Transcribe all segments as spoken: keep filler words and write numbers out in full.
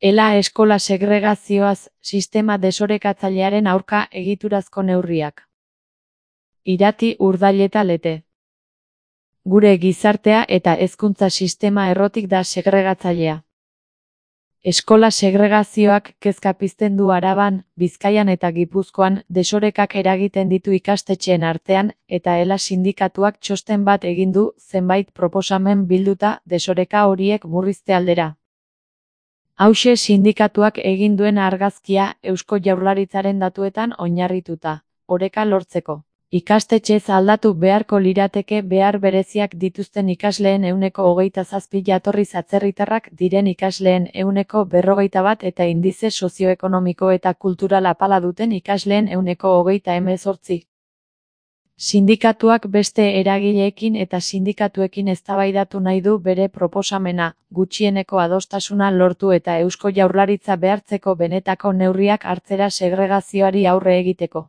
Ela eskola segregazioaz, sistema desorekatzailearen aurka egiturazko neurriak. Irati Urdaileta Lete. Gure gizartea eta hezkuntza sistema errotik da segregatzailea. Eskola segregazioak kezka pizten du Araban, Bizkaian eta Gipuzkoan, desorekak eragiten ditu ikastetxeen artean, eta ela sindikatuak txosten bat egin du, zenbait proposamen bilduta, desoreka horiek murrizte aldera. Hauxe sindikatuak egin duen argazkia Eusko Jaurlaritzaren datuetan oinarrituta, oreka lortzeko. Ikastetxez aldatu beharko lirateke behar bereziak dituzten ikasleen ehuneko hogeita zazpi jatorriz atzerritarrak diren ikasleen ehuneko berrogeita bat eta indize sozioekonomiko eta kultural apala duten ikasleen ehuneko hogeita hemezortzi. Sindikatuak beste eragileekin eta sindikatuekin eztabaidatu nahi du bere proposamena, gutxieneko adostasuna lortu eta Eusko Jaurlaritza behartzeko benetako neurriak hartzera segregazioari aurre egiteko.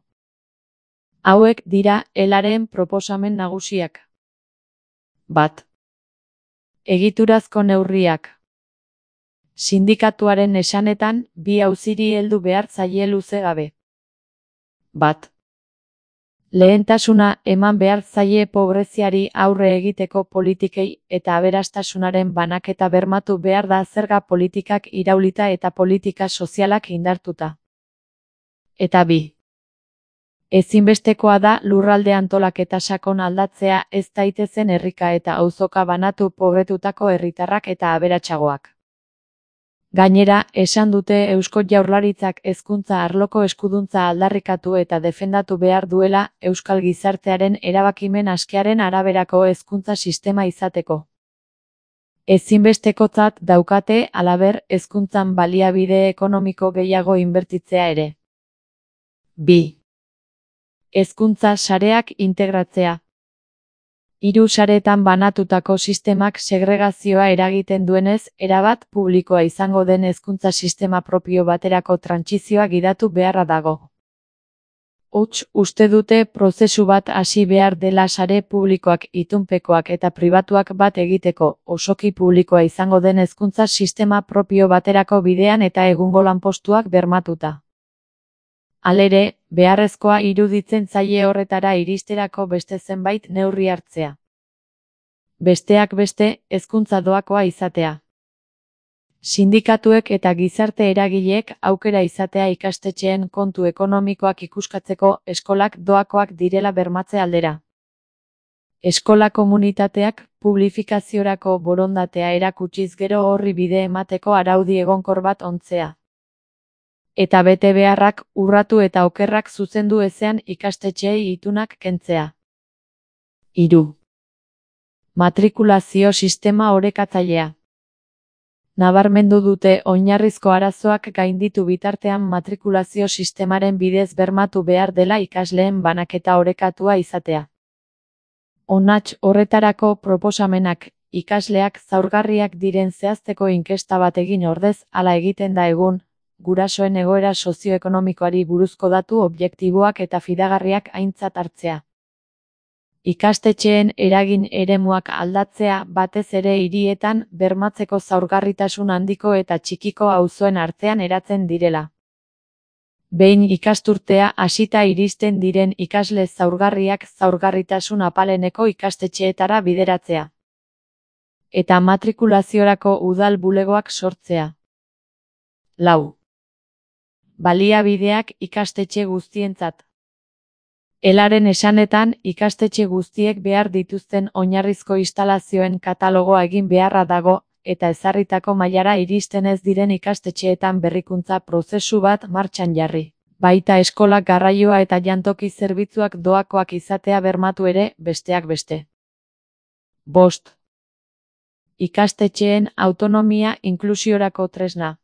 Hauek dira elaren proposamen nagusiak. Bat. Egiturazko neurriak. Sindikatuaren esanetan, bi auziri heldu behar zaie luze gabe. Bat. Lehentasuna eman behar zaie pobreziari aurre egiteko politikei eta aberastasunaren banaketa bermatu behar da zerga politikak iraulita eta politika sozialak indartuta. Eta bi. Ezinbestekoa da lurralde antolaketa sakon aldatzea ez daitezen herrika eta auzoka banatu pobretutako herritarrak eta aberatsagoak. Gainera, esan dute Eusko Jaurlaritzak hezkuntza arloko eskuduntza aldarrikatu eta defendatu behar duela euskal gizartearen erabakimen askearen araberako hezkuntza sistema izateko. Ezinbestekotzat daukate halaber hezkuntzan baliabide ekonomiko gehiago inbertitzea ere. Bi. Hezkuntza sareak integratzea. Hiru sareetan banatutako sistemak segregazioa eragiten duenez, erabat publikoa izango den hezkuntza sistema propio baterako trantsizioa gidatu beharra dago. Huts, uste dute prozesu bat hasi behar dela sare publikoak, itunpekoak eta pribatuak bat egiteko, osoki publikoa izango den hezkuntza sistema propio baterako bidean eta egungo lanpostuak bermatuta. Halere, beharrezkoa iruditzen zaie horretara iristerako beste zenbait neurri hartzea. Besteak beste, hezkuntza doakoa izatea. Sindikatuek eta gizarte eragileek aukera izatea ikastetxeen kontu ekonomikoak ikuskatzeko eskolak doakoak direla bermatze aldera. Eskola komunitateak publifikaziorako borondatea erakutsiz gero horri bide emateko araudi egonkor bat ontzea. Eta bete beharrak urratu eta okerrak zuzendu ezean ikastetxeei itunak kentzea. Hiru. Matrikulazio sistema orekatzailea. Nabarmendu dute oinarrizko arazoak gainditu bitartean matrikulazio sistemaren bidez bermatu behar dela ikasleen banaketa orekatua izatea. Onats horretarako proposamenak, ikasleak zaurgarriak diren zehazteko inkesta bat egin ordez, hala egiten da egun, gurasoen egoera sozioekonomikoari buruzko datu objektiboak eta fidagarriak aintzat hartzea. Ikastetxeen eragin eremuak aldatzea batez ere hirietan bermatzeko zaurgarritasun handiko eta txikiko auzoen artean eratzen direla. Behin ikasturtea hasita iristen diren ikasle zaurgarriak zaurgarritasun apaleneko ikastetxeetara bideratzea. Eta matrikulaziorako udal bulegoak sortzea. Lau. Baliabideak ikastetxe guztientzat. Elaren esanetan, ikastetxe guztiek behar dituzten oinarrizko instalazioen katalogoa egin beharra dago, eta ezarritako mailara iristen ez diren ikastetxeetan berrikuntza prozesu bat martxan jarri. Baita eskolak garraioa eta jantoki zerbitzuak doakoak izatea bermatu ere, besteak beste. Bost. Ikastetxeen autonomia inklusiorako tresna.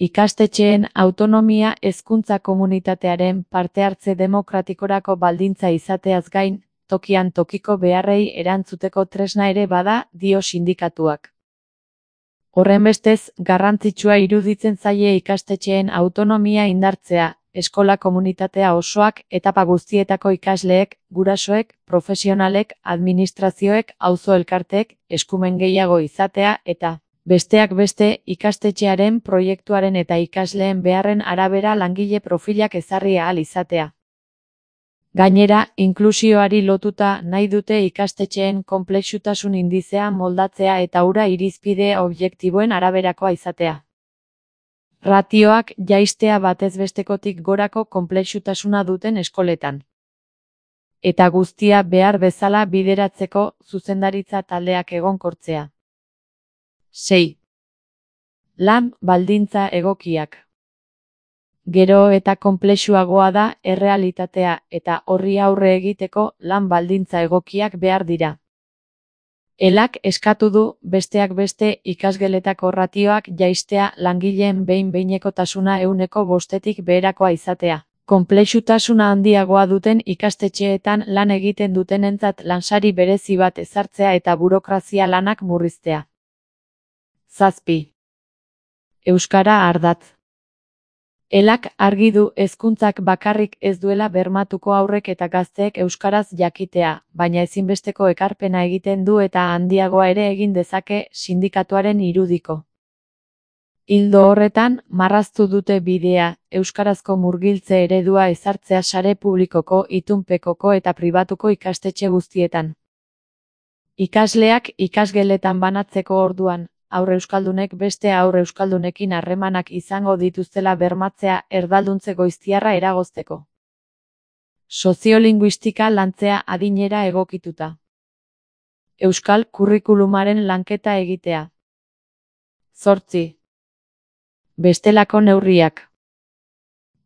Ikastetxeen autonomia hezkuntza komunitatearen parte hartze demokratikorako baldintza izateaz gain, tokian tokiko beharrei erantzuteko tresna ere bada, dio sindikatuak. Horrenbestez, garrantzitsua iruditzen zaie ikastetxeen autonomia indartzea, eskola komunitatea osoak, etapa guztietako ikasleek, gurasoek, profesionalek, administrazioek, auzo elkarteek, eskumen gehiago izatea eta Besteak beste, ikastetxearen proiektuaren eta ikasleen beharren arabera langile profilak ezarri ahal izatea. Gainera, inklusioari lotuta nahi dute ikastetxeen konplexutasun indizea moldatzea eta hura irizpide objektiboen araberakoa izatea. Ratioak jaistea batez bestekotik gorako konplexutasuna duten eskoletan. Eta guztia behar bezala bideratzeko zuzendaritza taldeak egonkortzea. sei. Lan baldintza egokiak. Gero eta konplexuagoa da errealitatea eta horri aurre egiteko lan baldintza egokiak behar dira. Elak eskatu du, besteak beste, ikasgeletako ratioak jaistea langileen behin-behinekotasuna ehuneko bostetik beherakoa izatea. Konplexutasuna handiagoa duten ikastetxeetan lan egiten dutenentzat lansari berezi bat ezartzea eta burokrazia lanak murriztea. Zazpi. Euskara ardatz. Elak argi du hezkuntzak bakarrik ez duela bermatuko haurrek eta gazteek euskaraz jakitea, baina ezinbesteko ekarpena egiten du eta handiagoa ere egin dezake sindikatuaren irudiko. Ildo horretan, marraztu dute bidea, euskarazko murgiltze eredua ezartzea sare publikoko, itunpekoko eta pribatuko ikastetxe guztietan. Ikasleak ikasgeletan banatzeko orduan, haur euskaldunek beste haur euskaldunekin harremanak izango dituztela bermatzea erdalduntze goiztiarra eragozteko. Soziolinguistika lantzea adinera egokituta. Euskal kurrikulumaren lanketa egitea. Zortzi. Bestelako neurriak.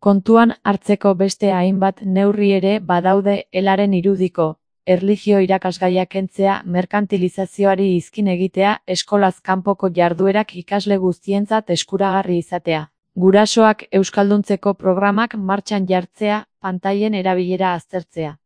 Kontuan hartzeko beste hainbat neurri ere badaude elaren irudiko. Erlijio irakasgaiak kentzea, merkantilizazioari izkin egitea, eskolaz kanpoko jarduerak ikasle guztientzat eskuragarri izatea. Gurasoak euskalduntzeko programak martxan jartzea, pantailen erabilera aztertzea.